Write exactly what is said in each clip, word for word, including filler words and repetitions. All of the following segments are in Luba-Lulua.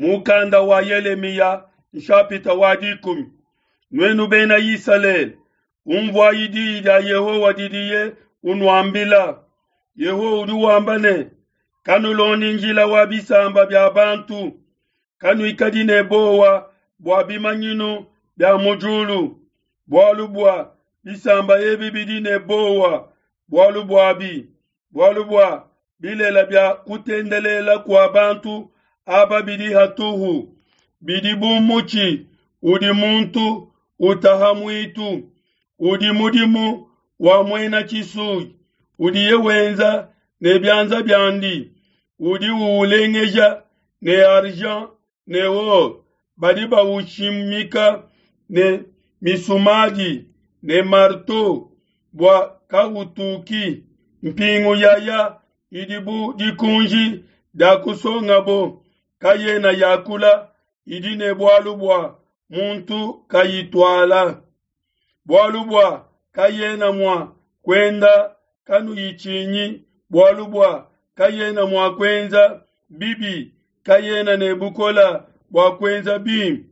Mukanda wa Yelemiya nshapita wa dikumi. Nuenu bena Isalele, umvuayi diyi dia Yehowa didiye unuambila. Yehowa udi wamba ne, kanulondi njila wa bisamba bia bantu, kanuikadi ne bowa bua bimanyinu bia mu diulu, bualu bua bisamba ebi bidi ne bowa bualu buabi, bualu bua bilela bia kutendelela kua bantu aba bidi hatuhu, bidi bu mutshi udi muntu utaha muitu, udi mudimu wa muena tshisuyi, udiye wenza ne bianza biandi, udi uulengeja ne argent ne or, badi baushimika ne misumadi ne marteau bua kautuki. Mpingu yaya idi bu dikunji dia kusongabo, kayena yakula, idi ne bualu bua muntu kayituala, bualu bua kayena mua kuenda, kanuyitshinyi, bualu bua kayena mua kuenza bibi, kayena ne bukole bua kuenza bimpe.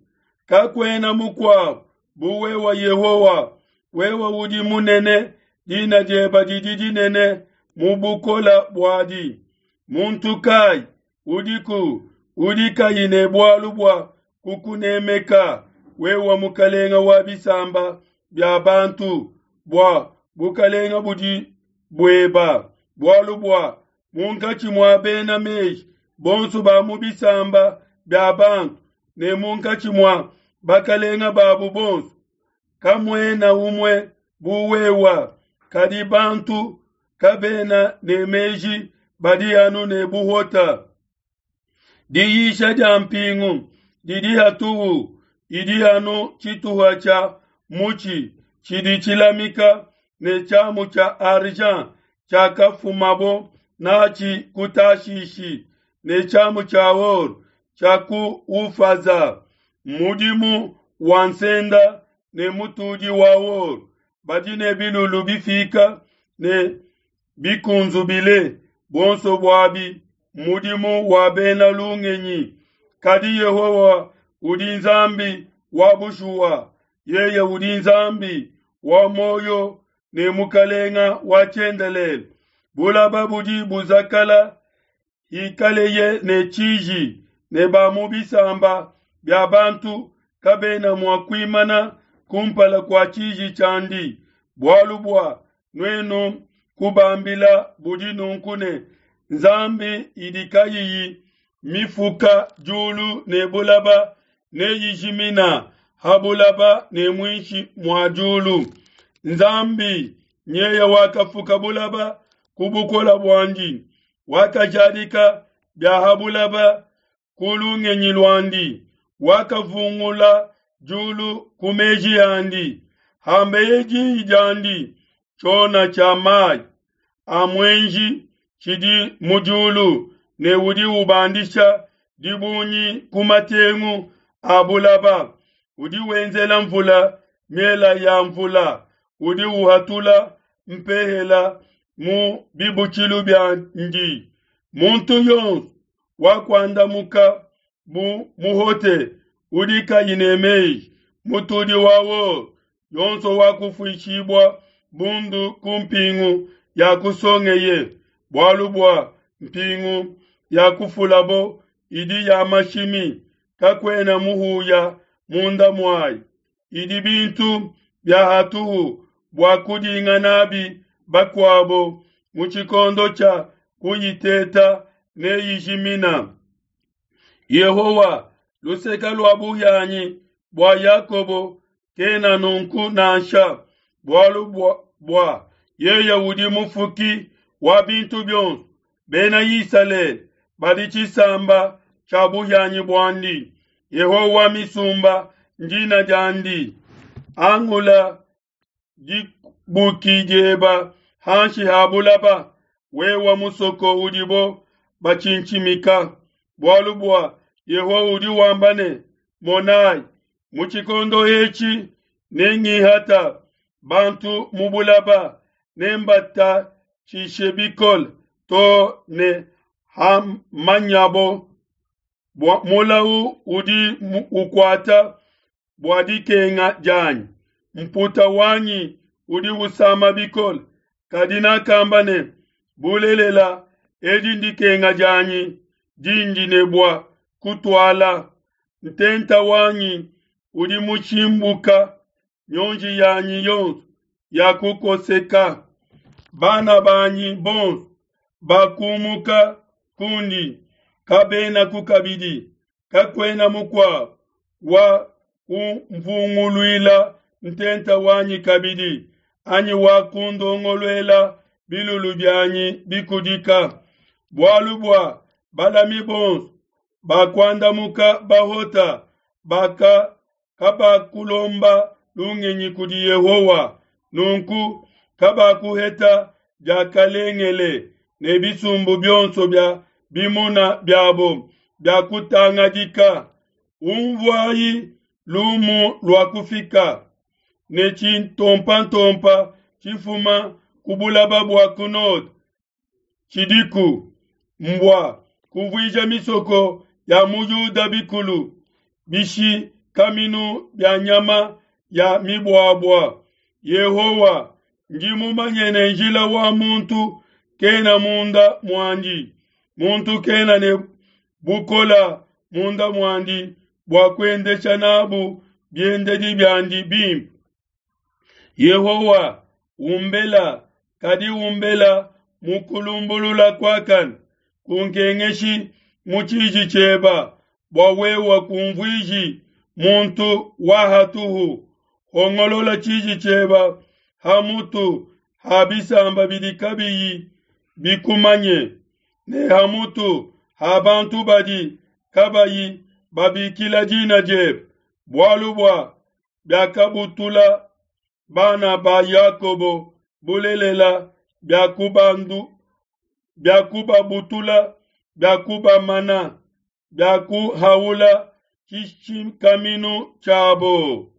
Kakuena mukuabo bu wewe Yehowa, wewe udi munene, dina diebe didi dinene mu bukole buadi. Muntu kai udiku udi kayi ne bualu bua kukunemeka, wewe mukalenga wa bisamba bia bantu, bua bukalenga budi bueba, bualu bua munkatshi mua bena meji bonso ba mu bisamba bia bantu ne munkatshi mua bakalenga babu bonso, kamuena umue bu wewa. Kadi bantu kabena ne meji, badi anu ne buhota. Diyisha dia mpingu didi hatuhu, idi anu tshituha tshia mutshi tshidi tshilamika ne tshiamu tshia argent tshiakafumabo natshi ku Tashishi, ne tshiamu tshia or tshia ku Ufaza. Mudimu wa nsenda ne mutudi wa or badi ne bilulu bifika ne bikunzubile, buonso buabi mudimu wa bena lungenyi. Kadi Yehowa udi Nzambi wa bushuwa, yeye udi Nzambi wa muoyo ne mukalenga wa tshiendelele. Bulaba budi buzakala hikaleye ne tshiji, ne ba mu bisamba bia bantu kabena mua kuimana kumpala kua tshiji tshiandi. Bualu bua nuenu kubambila budi nunku ne, Nzambi idi kayiyi mifuka diulu ne bulaba neyijimina ha bulaba ne muinshi mua diulu. Nzambi nyeye wakafuka bulaba ku bukole buandi, wakajadika bia ha bulaba ku lungenyi luandi, wakavungula diulu ku meji andi. Hambeye diyi diandi, tshiona tshia mai a muenji tshidi mu diulu, ne udi ubandisha dibungi ku matengu a bulaba. Udi wenzela mvula miela ya mvula, udi uhatula mpehela mu bibutshilu biandi. Muntu yonso wakuandamuka bu muhote udi kayi ne meji, mutudi wa or yonso wakufuishibua bundu ku mpingu ya kusongeye, bualu bua mpingu ya kufulabo idi ya mashimi, kakuena muhuya munda muayi. Idi bintu bia hatuhu bua kudinga nabi bakuabo, mu tshikondo tshia kuyiteta neyijimina. Yehowa, luseke lua buhianyi bua Yakobo, kena nunku nansha, bualu bua, bua yeye udi mufuki wa bintu bionso. Bena Isalele badi tshisamba tshia buhianyi buandi. Yehowa misumba ndina diandi. Angula dibuki dieba hanshi ha bulaba, wewa musoko udibo batshintshimika. Bualu bua Yehowa udi wamba ne, monai, mu tshikondo etshi nengihata bantu mu bulaba, nembatatshishe bikole to ne hamanyabo Bua mulau udi ukuata bua dikenga dianyi, mputa wanyi udi usama bikole. Kadi nakamba ne, Bulelela, edi ndikenga dianyi dindi ne bua kutuala. Ntenta wanyi udi mutshimbuka, mionji yanyi yonso yakukoseka. Bana banyi bonso bakumuka kundi, kabenaku kabidi, kakuena mukuabo wa kumvunguluila ntenta wanyi kabidi, anyi wa kundongoluela bilulu bianyi bikudika. Bualu bua balami bonso bakuandamuka bahota, baka kabakulomba lungenyi kudi Yehowa, nunku kabakuheta diakalengele, ne bisumbu bionso bia bimuna biabo biakutangadika. Unvuai, lumu luakufika, ne tshintompantompa tshifuma ku bulaba bua ku node tshidiku, mbua kuvuija misoko ya mu Yuda bikulu, bishikaminu bia nyama ya mibuabua. Yehowa, ndi mumanye ne njila wa muntu kena munda muandi, muntu kena ne bukola munda muandi bua kuendesha nabu biendedi biandi bimpe. Yehowa, umbela, kadi umbela mu kulumbulula kuakane, kunkengeshi mu tshiji tshieba, bua wewe kunvuiji muntu wa hatuhu. Hongolola tshiji tshieba ha mutu ha bisamba bidi kabiyi bikumanye, ne ha mutu ha bantu badi kabayi babikila dina diebe, bualu bua biakabutula bana ba Yakobo, bulelela biakubandu biakubabutula, biakubamana, biakuhaula tshishikaminu tshiabo.